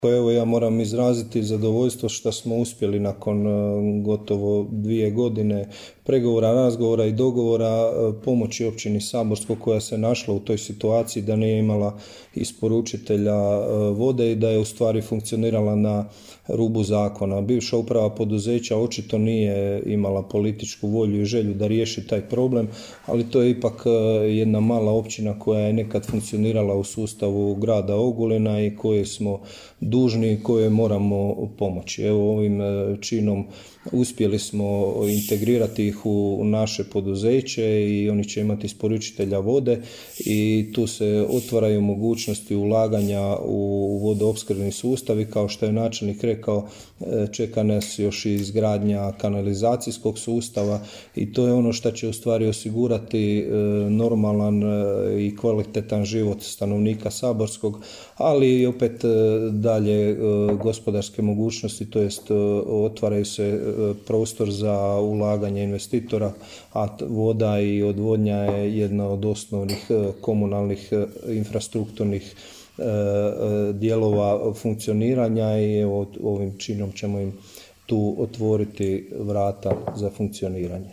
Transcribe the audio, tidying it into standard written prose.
Pa evo, ja moram izraziti zadovoljstvo što smo uspjeli nakon gotovo 2 godine pregovora, razgovora i dogovora pomoći općini Saborsko koja se našla u toj situaciji da nije imala isporučitelja vode i da je u stvari funkcionirala na rubu zakona. Bivša uprava poduzeća očito nije imala političku volju i želju da riješi taj problem, ali to je ipak jedna mala općina koja je nekad funkcionirala u sustavu grada Ogulina i koje smo dužni i koje moramo pomoći. Evo, ovim činom uspjeli smo integrirati ih u naše poduzeće i oni će imati isporučitelja vode i tu se otvaraju mogućnosti ulaganja u vodoopskrbni sustav i kao što je načelnik rekao, čeka nas još i izgradnja kanalizacijskog sustava i to je ono što će u stvari osigurati normalan i kvalitetan život stanovnika Saborskog, ali i opet dalje gospodarske mogućnosti, to jest otvaraju se prostor za ulaganje investitora, a voda i odvodnja je jedna od osnovnih komunalnih infrastrukturnih dijelova funkcioniranja i evo, ovim činom ćemo im tu otvoriti vrata za funkcioniranje.